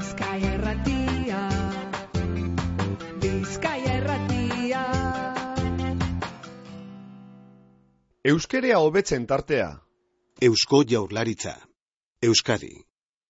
Bizkaia Irratia, Bizkaia Irratia. Euskerea hobetzen tartea. Eusko Jaurlaritza. Euskadi.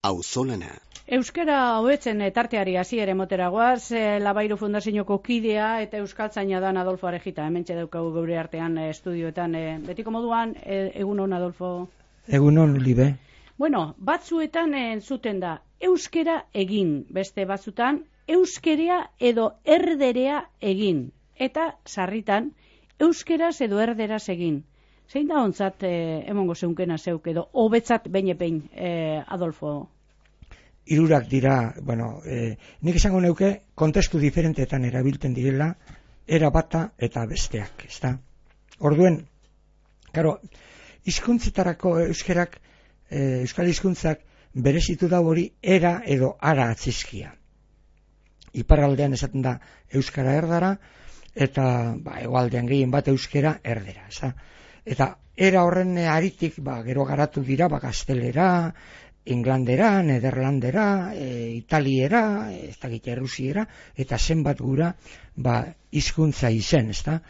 Auzolana. Euskara hobetzen tarteari hasiera emotera goaz, Labairu Fundazioko kidea eta euskaltzaina dan Adolfo Arejita. Hementxe daukagu geure artean estudioetan. Betiko moduan, egunon Adolfo? Egunon, Libe. Bueno, batzuetan entzuten da euskera egin, beste batzutan euskerea edo erderea egin, eta sarritan euskeraz edo erderaz egin. Zein da ontzat emongo zeunkena zeuk edo hobetzat behin Adolfo? Hirurak dira, nik esango neuke kontestu diferentetan erabiltzen direla, era bata eta besteak, ezta? Orduen, karo, hizkuntzetarako euskerak, euskal hizkuntzak berezitu da hori era edo ara atzizkia. Iparraldean esaten da euskara erdara, eta hegoaldean gehien bat euskera erdera, ezta? Eta era horren aritik, gero garatu dira, gaztelera, inglandera, nederlandera, italiera, ez dakit errusiera, eta zenbat gura, hizkuntza izen, ezta?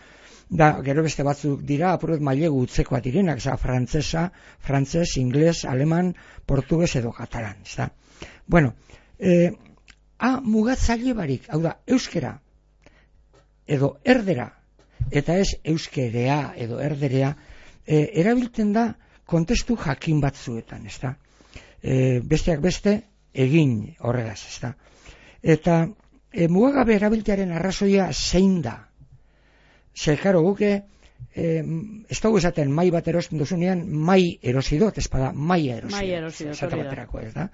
Da, gero beste batzuk dira, apuret mailegu utzekoa direnak, frantzes, ingles, aleman, portugues edo katalan, ezta? Bueno, mugatzaile barik, hau da, euskera, edo erdera, eta ez euskerea edo erderea, erabiltzen da kontestu jakin batzuetan, ezta? Besteak beste egin horregaz, ezta? Eta mugagabe erabiltearen arrazoia zein da? Zer, karo, guke ez dugu esaten mai bat erosten duzunean, mai erosi dut, ez bada maia erosi dut, baterako, ez da?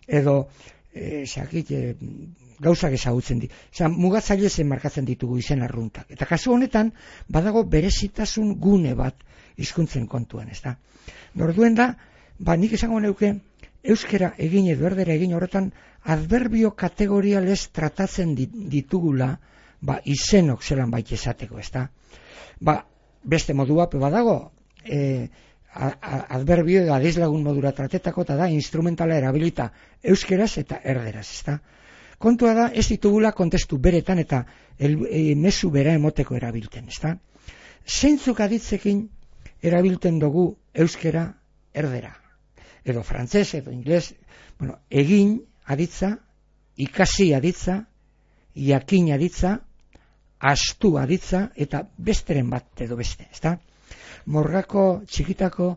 Edo, gauzak ezagutzen di. Mugatzaile zen markatzen ditugu izen arruntak. Eta kasu honetan, badago berezitasun gune bat hizkuntzen kontuan, ez da? Orduen da, nik esango neuke, euskera egin edo erdera egin horretan, adverbio kategorialez tratatzen ditugula, izenok zelan baita esateko, ez da? Beste modua, badago, adverbio edo adizlagun modura tratetako, eta da, instrumentala erabilita euskeraz eta erderaz, ez da? Kontua da, ez ditugula kontestu beretan eta mezu bera emoteko erabilten, ez da? Zeintzuk aditzekin erabilten dugu euskera erdera? Edo frantzes, edo ingles, egin aditza, ikasi aditza, jakin aditza, astu aditza, eta besteren bat edo beste, ez da? Morgako txikitako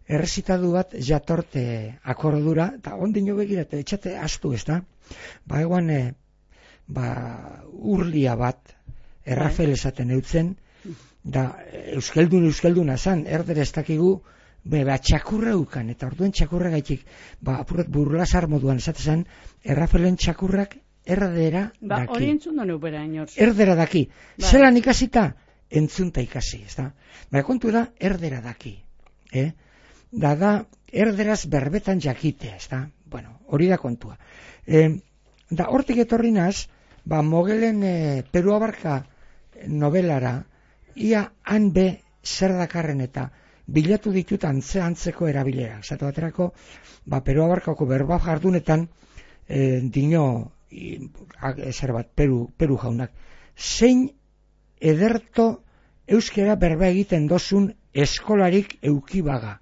errezitadu bat jatorte akordura, eta ondino begirate, etxate astu, ez da? Egoan, urlia bat, errafel esaten eutzen, da euskalduna zan, erdera ez dakigu, txakurra ukan, eta orduen txakurra gaitik, apurat burlasar moduan esatezan, errafelen txakurrak erdera daki. Hori entzun donu bera, inor. Erdera daki. Zelan ikasita, entzunta ikasi, ez da? Kontu da, erdera daki. Da, erderaz berbetan jakitea, ez da? Hori da kontua. Da, hortik etorri naz, Mogelen Peru Abarka novelara, ia han be zer dakarren eta bilatu ditut antzeko erabilera. Zato baterako, Peru Abarkako berba jardunetan, dino, zer bat, Peru jaunak, zein ederto euskera berba egiten dozun eskolarik eukibaga.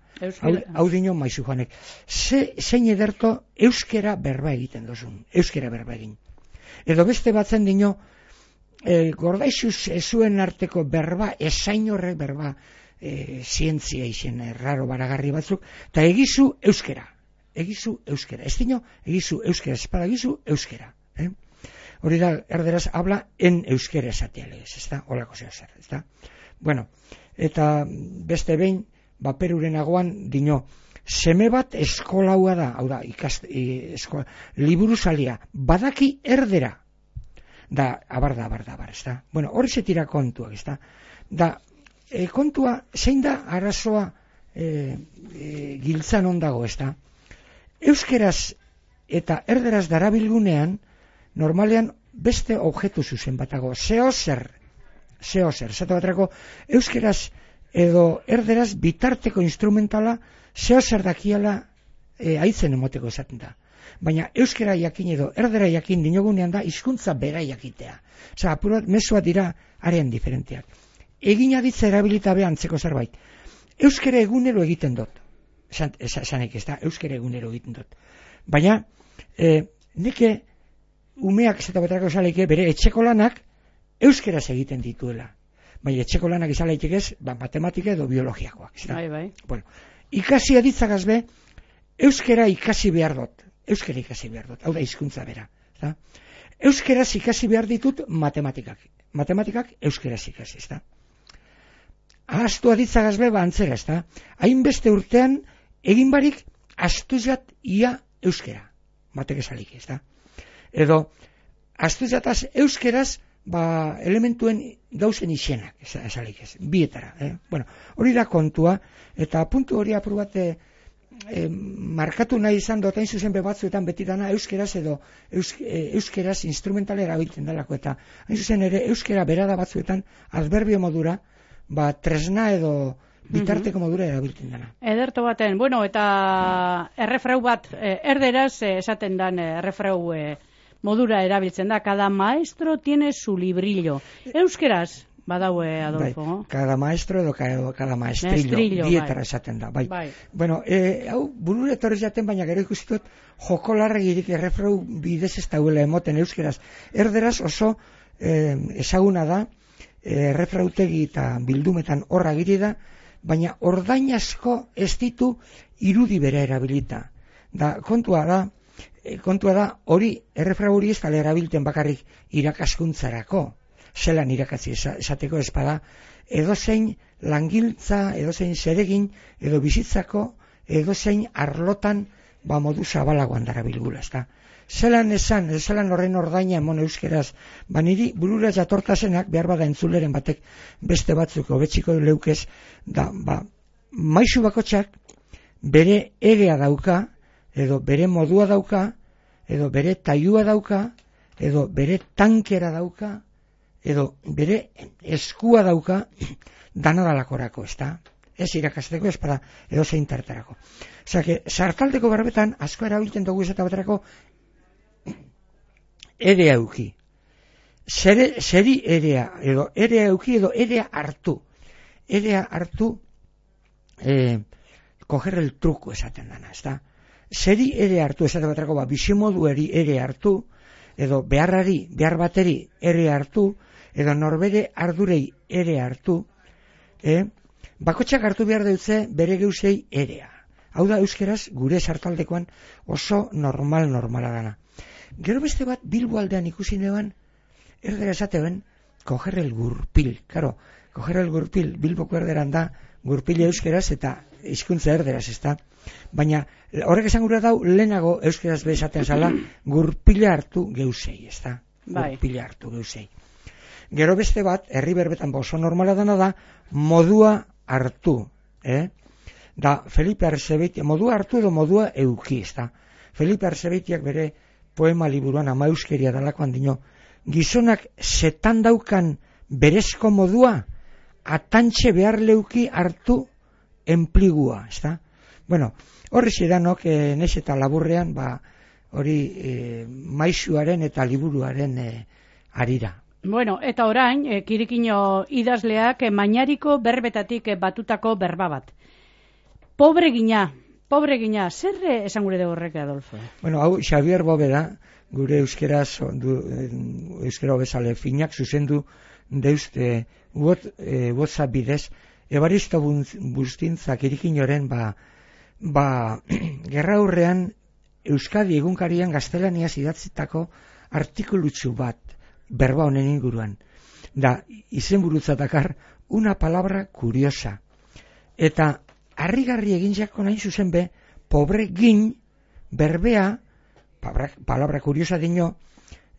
Hau dino maizu joanek. Zein ederto euskera berba egiten dozun, euskera berba egin. Edo beste batzen dino, gordaizuz ezuen arteko berba, esain horrek berba, zientzia izen erraro baragarri batzuk, eta egizu euskera. Egizu euskera. Ez dino, egizu euskera, espadagizu euskera. Hori da, erderaz, habla en euskera esatea legez, ez da? Olako zer, ez da? Eta beste behin, Peruren agoan dino, seme bat eskolaua da, hau da, liburuzalia, badaki erdera. Da, abar, ez da? Hori zetira kontuak, ez da? Da, kontua, zein da arazoa giltzan ondago, ez da? Euskeraz eta erderaz darabilgunean, normalean beste objektu zuzen batago, zeozer, zato baterako, euskeraz edo erderaz bitarteko instrumentala zeozer dakiala haitzen emoteko esaten da. baina euskera jakin edo erdera jakin dinogunean da hizkuntza bera jakitea. Osea, apur bat mezuak dira arean diferenteak. Egin aditza erabilita be antzeko zerbait. Euskera egunero egiten dut. Esanek ez da, euskera egunero egiten dut. Baina, neke umeak ez eta betarako esaleike bere etxeko lanak euskeraz egiten dituela. Baina etxeko lanak izan laitekez, matematika edo biologiakoak. Bai. Bueno, ikasi aditzagaz be, euskera ikasi behar dut. Euskera ikasi behar dut. Hau da hizkuntza bera. Da? Euskeraz ikasi behar ditut matematikak. Matematikak euskeraz ikasi. Da? Ahaztu aditzagaz be, antzera. Da? Hainbeste urtean, egin barik, astuzat ia euskera. Matek esalik ez da. Edo, astuzataz euskeraz, elementuen gauzen izenak, esalik ez, bietara. Bueno, hori da kontua, eta puntu hori apur bat markatu nahi izan dut, hain zuzen batzuetan beti dana euskeraz edo euskeraz instrumental erabiltzen dalako, eta hain zuzen ere euskera berada batzuetan adverbio modura, tresna edo bitarteko modura erabiltzen dana. Ederto baten, bueno, eta errefrau bat, erderaz esaten dan errefrau modura erabiltzen da, cada maestro tiene su librillo. Euskeraz, badaue, Adolfo. Cada maestro edo cada maestrillo, bietara esaten da. Bai. Bueno, hau, burure etorrez jaten, baina gero ikusitut, joko larregirik errefrau bidez ez dauela emoten euskeraz. Erderaz oso ezaguna da, errefrautegi eta bildumetan horra giri da, baina ordain asko ez ditu irudi bera erabilita. Kontua da, hori, errefrau hori ez dala erabilten bakarrik irakaskuntzarako, zelan irakatzi esateko espada, edozein langiltza, edozein zeregin, edo bizitzako, edozein arlotan, modu zabalagoan darabilgula, ezta. Zelan esan, zelan horren ordaina emon euskeraz, niri burura jatortasenak, behar bada entzuleren batek beste batzuk hobetziko leukez, maisu bakotxak bere egea dauka, edo bere modua dauka, edo bere tailua dauka, edo bere tankera dauka, edo bere eskua dauka, danadalakorako, ez da? Ez irakasteko, ez bada, edo zein tartarako. Osea, sartaldeko berbetan, asko erabiltzen dugu ez eta baterako, erea euki. Zeri erea, edo erea euki, edo erea hartu. Erea hartu, coger el truco esaten dana, ez da? Zeri ere hartu, esate baterako, bizimodueri ere hartu, edo behar bateri ere hartu, edo norbere ardurei ere hartu, bakotxak hartu behar dutze bere geusei erea. Hau da euskeraz gure sartaldekoan oso normala dana. Gero beste bat Bilbo aldean ikusi neban, erdera esatean, coger el gurpil. Claro, coger el gurpil, Bilboko erderan da, gurpil euskeraz eta hizkuntza erderaz, ez da? Baina horrek esan gura dau, lehenago euskeraz bezaten zala, gurpila hartu geusei, ez da? Gurpila hartu geusei. Gero beste bat, herri berbetan oso normala dana da, modua hartu. Da, Felipe Arzebeitia, modua hartu edo modua euki, ez da? Felipe Arzebeitiak bere poema liburuan ama euskeria dalakoan dino, gizonak zetan daukan berezko modua, atantxe behar leuki hartu enpligua, ez da? Bueno, horri zidanok, nez eta laburrean, hori maisuaren eta liburuaren arira. Bueno, eta orain, Kirikino idazleak mainariko berbetatik batutako berba bat. Pobre gina, zer esan gure dugu horrek, Adolfo? Bueno, hau, Xavier Bóveda, gure euskera bezale finak zuzendu deuzte WhatsApp bidez, Ebaristo Bustintzak Kirikinoren, gerra hurrean Euskadi egunkarian gaztelaniaz idatzitako artikulutsu bat, berba honen inguruan. Da, izenburutzatakar, una palabra curiosa. Eta, harrigarri egin jako nahi zuzen be, pobre gin, berbea, palabra curiosa diño,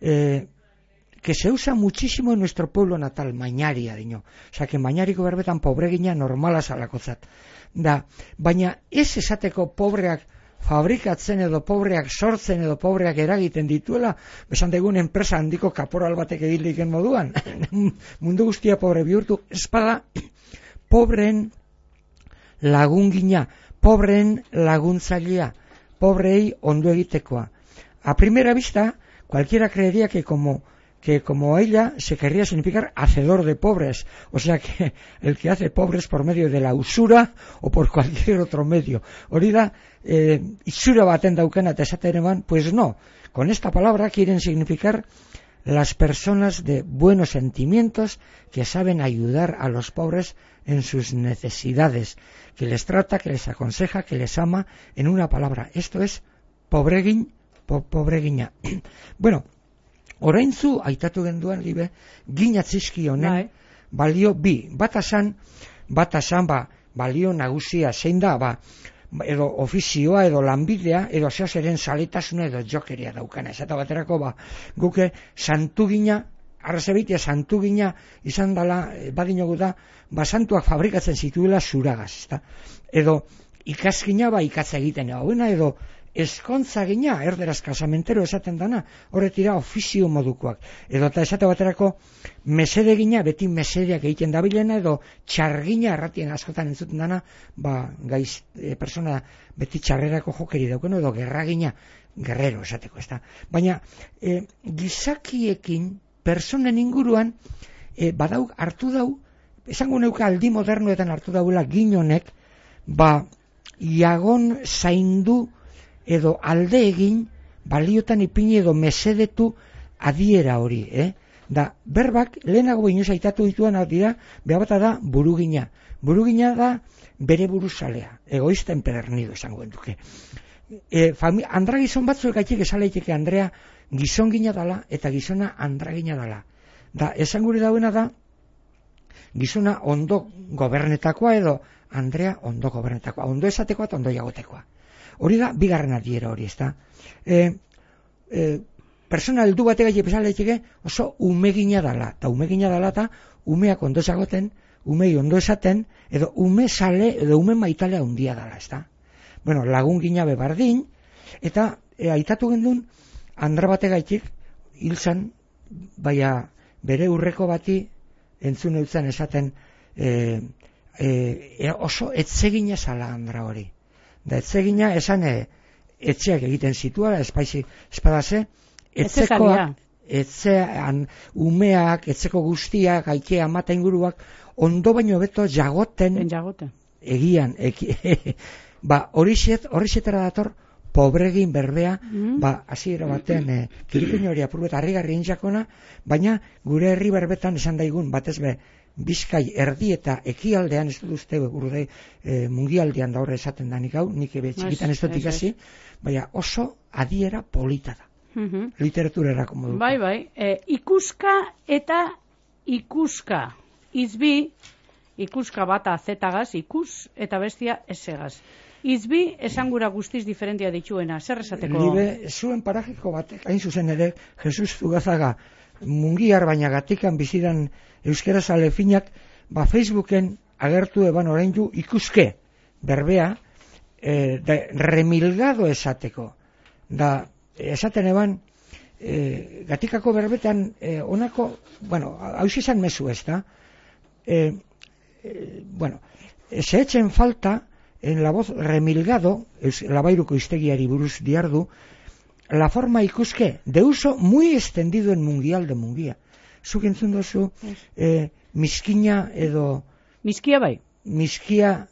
que se usa muchísimo en nuestro pueblo natal, Mañaria diño. Osa, que Mañariko berbetan pobre gina normala zalakotzat. Da, baina ez esateko pobreak fabrikatzen edo pobreak sortzen edo pobreak eragiten dituela, besan degun enpresa handiko kaporal batek ediliken moduan, mundu guztia pobre bihurtu, espada, pobreen lagungina, pobreen laguntzailea, pobrei ondo egitekoa, a primera vista, cualquiera creería que como ella se querría significar hacedor de pobres, o sea que el que hace pobres por medio de la usura o por cualquier otro medio. Hori da, itxura baten daukana eta esaten eman, pues no, con esta palabra quieren significar las personas de buenos sentimientos que saben ayudar a los pobres en sus necesidades, que les trata, que les aconseja, que les ama, en una palabra. Esto es pobregiña. Bueno, oraintzu aitatu genduan, libe, ginatzizki honen balio bi. Bata san, balio nagusia zein da, edo ofizioa, edo lanbidea, edo zeozeren saletasuna, edo jokeria daukana. Esata baterako, guke santugina, arrazebitia santugina izan dela, badinogu da, santuak fabrikatzen zituela zuragaz, ezta? Edo ikazgina, ikatza egiten hauena, edo eskontza gina, erderaz kasamentero esaten dana, horretira ofizio modukoak. Edo eta esate baterako mesede gina, beti mesedeak egiten dabilena, edo txargina erratien askotan entzuten dana, persona beti txarrerako jokeri daukeno, edo gerragina, guerrero esateko, ezta. Baina gizakiekin, personen inguruan, badauk hartu dau, esango neuka aldi modernoetan hartu daula ginonek, iagon zaindu edo alde egin baliotan ipini edo mesedetu adiera hori, Da, berbak lehenago inoz aitatu dituan dira, behar da burugina. Burugina da bere buruzalea, egoista empedernido esango duke. Andra gizon batzuek gaitik esaleiteke Andrea gizon gina dala eta gizona andra gina dala. Da, esan gure dauena da, gizona ondo gobernetakoa edo Andrea ondo gobernetakoa. Ondo esatekoa eta ondo jagotekoa. Hori da, bigarren adiera hori, ezta. Persona heldu batek gaiti pesaleiteke oso umegina dala. Eta umegina dala eta umeak ondo esagoten, umei ondo esaten, edo ume sale, edo ume maitalea handia dala, ezta. Bueno, lagun gina bebardin, eta aitatu gendun, Andra batek gaitik, hilzan, baina bere urreko bati entzun eutzen esaten oso etzegina zala Andra hori. Da etzegina esan etxeak egiten zituela, espadase, etzekoak, umeak, etzeko guztiak, aikea, amata inguruak, ondo baino beto jagoten. Egian. Horixetara dator, pobregin berbea, hasiera batean, kiripin hori apurret harrigarri intzakona, baina gure herri berbetan esan daigun, batez be, Bizkai erdi eta ekialdean, ez dut uste gurde mundialdean da horre esaten da nik hau, nik txikitan ez dut ikasi, baina oso adiera polita da. Literaturerako moduko. Bai, ikuska eta ikuska. Izbi, ikuska bata zetagaz, ikus eta bestia esegaz. Izbi esangura guztiz diferentia dituena, zer esateko? Libe, zuen parajiko batek, hain zuzen ere, Jesus Zugazaga, mungiar baina gatikan bizidan euskaraz alefinak, Facebooken agertu eban oraindu ikuske berbea, remilgado esateko. Da, esaten eban, gatikako berbetan onako, hau izan mezu ez da, se echen falta, en la voz remilgado, labairuko iztegiari buruz diardu, la forma ikuske, de uso muy extendido en mungial de mungia. Zuk entzun dozu, miskina edo... Miskia bai. Miskia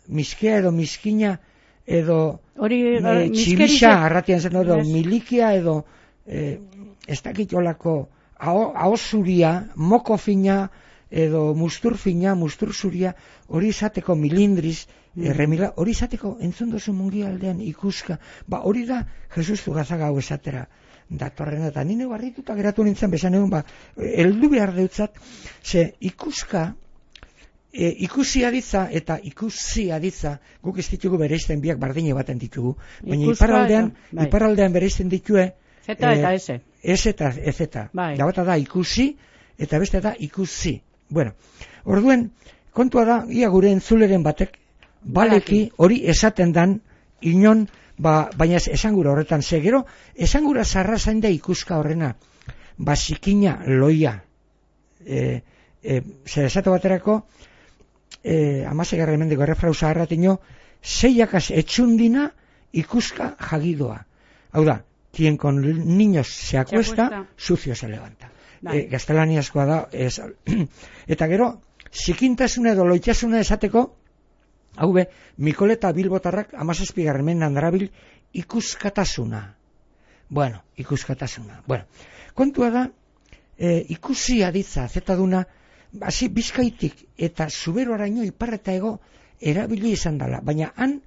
edo miskina edo... Txibisa, arratian zen edo milikia edo... Ez dakitolako ahosuria, moko fina edo mustur fina, mustur zuria, hori izateko milindriz, hori izateko entzun dozu mungialdean ikuska. Hori da Jesus Zugazaga hau esatera datorrena, eta nire barrituta geratu nintzen bezan egun, heldu behar deutzat, ze ikuska, ikusi aditza eta ikusi aditza, guk ez ditugu bereizten biak bardine baten ditugu, baina iparraldean bereizten ditue, zeta eta eze. Ez eta ezeta. Da bata da ikusi, eta beste da ikusi. Bueno, orduen, kontua da, ia gure entzuleren batek, baleki hori esaten dan, inon, baina esangura horretan segero, esangura zarra zain da ikuska horrena, zikina loia. Zer esate baterako, amasegarra emendiko errefrauza erratino, zeiakaz etxundina ikuska jagidoa. Hau da, quien con niños se acuesta, sucio se levanta. Gaztelaniazkoa da, eta gero, zikintasuna edo loitasuna esateko, hau be, Mikoleta Bilbotarrak 17. mendean darabil ikuskatasuna. Ikuskatasuna. Kontua da, ikusi aditza, zetaduna, hasi Bizkaitik eta Zuberoaraino ipar eta hego erabili izan dela, baina han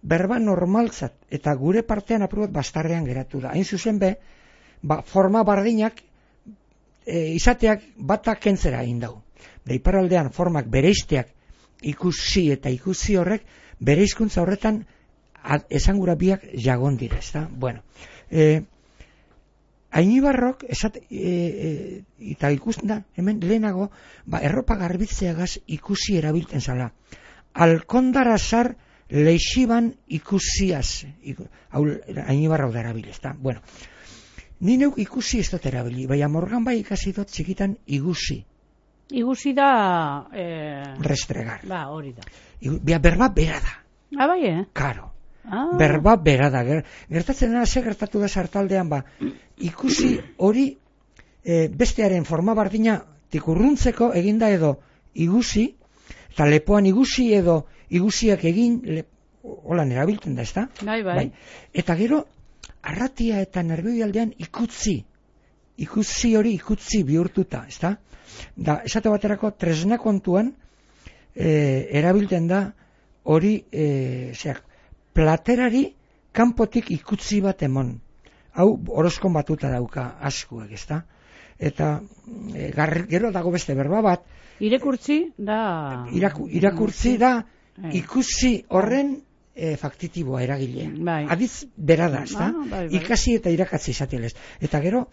berba normaltzat eta gure partean apurat bastarrean geratu da. Hain zuzen be, forma bardinak izateak batak kentzera egin dau. Da iparraldean formak bereizteak ikusi eta ikusi horrek bere hizkuntza horretan esangura biak jagon dira, ezta? Ainibarrok eta ikusten da, hemen lehenago, erropa garbitzeagaz ikusi erabilten zala. Alkondarazar leixiban ikusiaz, hau Ainibarrok da erabil, ezta? Ni neuk ikusi ez dut erabili, baina Morgan bai ikasi dut txikitan igusi. Igusi da... Restregar. Hori da. Berba bera da. Bai, Karo. Berba bera da. Gertatzen dena, ze gertatu da sartaldean, ikusi hori bestearen forma bardina tikurruntzeko eginda edo igusi, eta lepoan igusi edo igusiak egin, holan erabiltzen da, ezta? Bai. Eta gero, arratia eta nervioialdean ikusi hori ikutzi bihurtuta, ezta? Da, esate baterako tresna kontuan erabiltzen da hori platerari kanpotik ikutzi bat emon. Hau horoskon batuta dauka askuek, ezta? Eta gero dago beste berba bat. Irakurtzi da... Irakurtzi da ikusi horren faktitiboa eragile. Adiz bera da, ezta? Ikasi eta irakatzi izateles. Eta gero,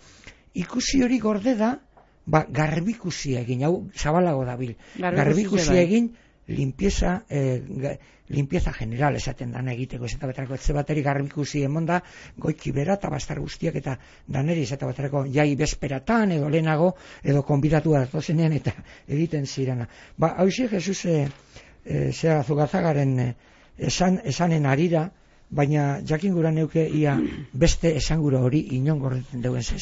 ikusi hori gorde da, garbikusia egin, hau zabalago dabil. Garbikusia egin, limpieza general esaten dana egiteko, ez eta baterako etxe bateri garbikusi emonda, goiki bera eta bastar guztiak eta daneri ez eta baterako jai bezperatan edo lehenago edo konbidatu datozenean eta egiten zirana. Hau Jesus zera Zugazagaren esanen arira, baina jakin gura neuke ia beste esangura hori inon gordetzen deuen zez.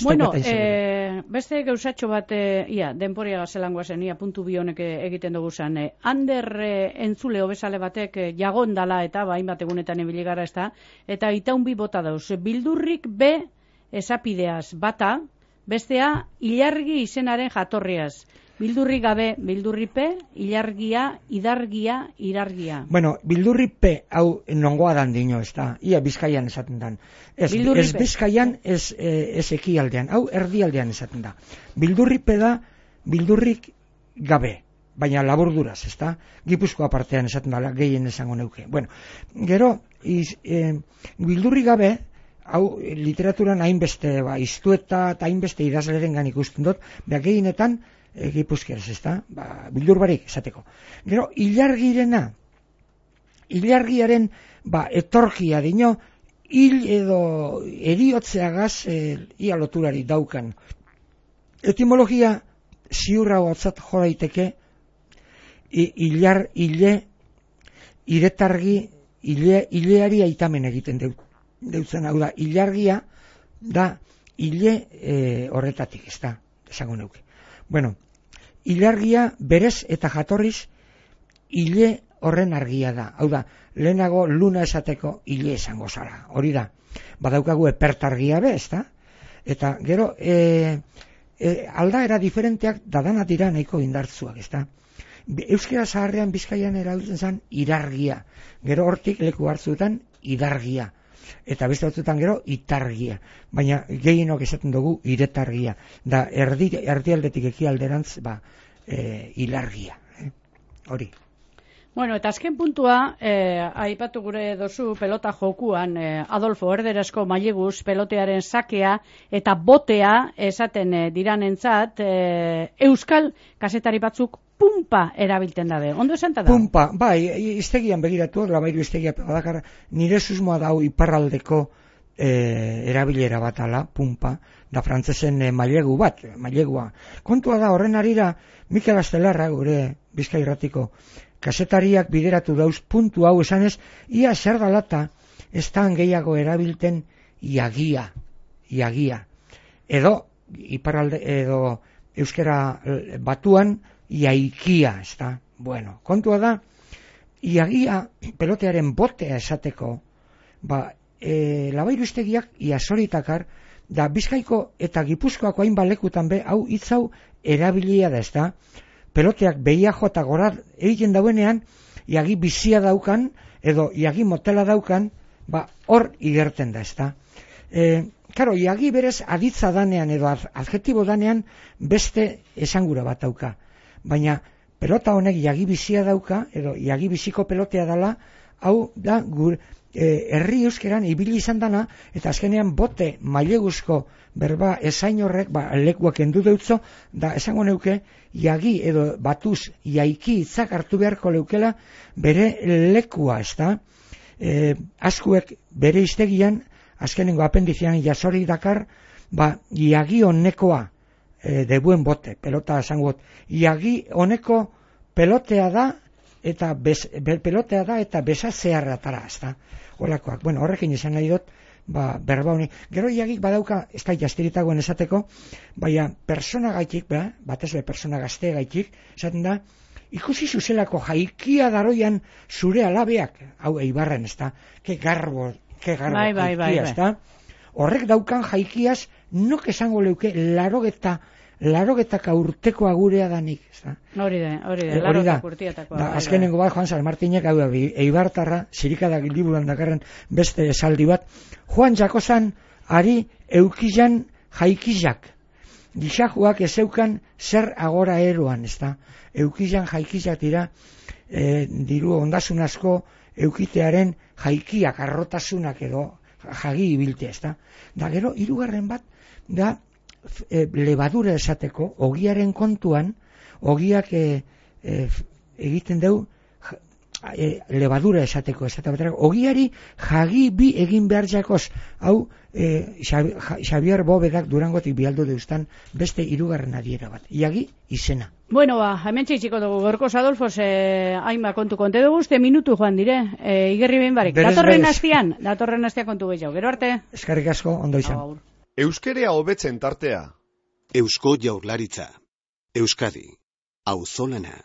Beste gauzatxo bat, denporia gazelangoa zen, puntu bi honek egiten dugu zen. Ander entzule obesale batek jagon dala eta hainbat egunetan ibili gara, ezta, eta itaun bi bota dauz. Bildurrik be esapideaz bata, bestea ilargi izenaren jatorriaz. Bildurri gabe, bildurripe, ilargia, idargia, irargia. Bildurripe hau nongoa dan dino, ez da. Ia Bizkaian esaten dan. Ez Bizkaian, ez ekialdean. Hau erdialdean esaten da. Bildurripe da, bildurrik gabe. Baina laburduraz, ez da. Gipuzkoa partean esaten da, gehien esango neuke. Gero, bildurri gabe, hau literaturan hainbeste, iztueta eta hainbeste idazleren gan ikusten dut, gehienetan, Gipuzkeraz, ez da, bildur barik esateko. Gero, ilargiaren etorkia dino, hil edo eriotzeagaz ia loturari daukan. Etimologia ziurra hotzat jo daiteke, iretargi, ileari aitamen egiten deutzen, hau da, ilargia da ile horretatik, ez da, esango neuke. Ilargia berez eta jatorriz ile horren argia da. Hau da, lehenago luna esateko ile esango zara. Hori da, badaukagu epertargia be, ez da? Eta gero, aldaera diferenteak dadana dira nahiko indartzuak, ez da? Euskera zaharrean Bizkaian erabiltzen zen irargia. Gero hortik leku hartzuetan idargia. Eta beste batzuetan gero itargia. Baina gehienok esaten dugu iretargia. Da erdialdetik ekialderantz ilargia. Hori. Eta azken puntua, aipatu gure dozu pelota jokuan, Adolfo Erderazko maileguz pelotearen sakea eta botea esaten diranentzat, euskal kazetari batzuk pumpa erabilten dabe. Ondo esan da? Pumpa, iztegian begiratu, Labairu iztegia pedakar, nire susmoa dau iparraldeko erabilera bat ala, pumpa, da frantzesen mailegua. Kontua da, horren arira, Mikel Astelarra, gure Bizkairratiko kazetariak bideratu dauz puntu hau esanez, ia zer dalata ez da gehiago erabilten iagia. iagia. Edo, iparralde, edo euskera batuan, iaikia, ez da. Bueno, kontua da, iagia pelotearen botea esateko, labairustegiak iazoritakar, da Bizkaiko eta Gipuzkoako hainbat lekutan be, hau hitz hau erabilia da, ez da. Peloteak behia jota gora egiten dauenean, iagi bizia daukan, edo iagi motela daukan, hor igerten da, ez da. Karo, iagi berez aditza danean edo adjetibo danean beste esangura bat dauka. Baina pelota honek iagi bizia dauka, edo iagi biziko pelotea dela, hau da herri euskeran ibili izan dana, eta azkenean bote maileguzko berba esain horrek, lekuak endu deutzo, da esango neuke, iagi edo batuz iaiki hitzak hartu beharko leukela bere lekua, ez da? Askuek bere iztegian, azkenengo apendizian jasori dakar, iagi honekoa, de buen bote, pelota esango, iagi honeko pelotea da, eta pelotea da, eta besazearratara, ez da? Olakoak, bueno, horrekin izan nahi dut, berba honi. Gero iagik badauka, ez da jastiritagoen esateko, baina persona gaitik, batez be persona gazte gaitik, esaten da, ikusi zuzelako jaikia daroian zure alabeak, hau eibarren, ez da, ke garbo jaikia, ez da, horrek daukan jaikiaz, nok esango leuke, larrogetaka urteko agurea danik, ez da. Hori da, larrogetak urtiatakoa. Azkenengo bat, Juan San Martinek, hau da, eibartarra, zirikadak liburuan dakarren beste esaldi bat, Juan Jakozan ari eukizan jaikizak. Gixajuak ezeukan zer agora eroan, ez da. Eukizan jaikizak dira, diru ondasun asko eukitearen jaikiak, arrotasunak edo jagi ibiltea, ez da. Da gero, hirugarren bat, da, lebadura esateko, ogiaren kontuan, ogiak egiten deu lebadura esateko, ogiari jagi bi egin behar jakoz, hau Xavier Bovedak Durangotik bialdu deustan beste hirugarren adiera bat, iagi izena. Bueno, hemen txitsiko dugu, Gorkoz Adolfo, hainba kontu konte dugu, minutu joan dire, igerri behin barik. Datorren hastian kontu gehiago, gero arte. Eskerrik asko, ondo izan. Euskerea hobetzen tartea. Eusko Jaurlaritza. Euskadi. Auzolana.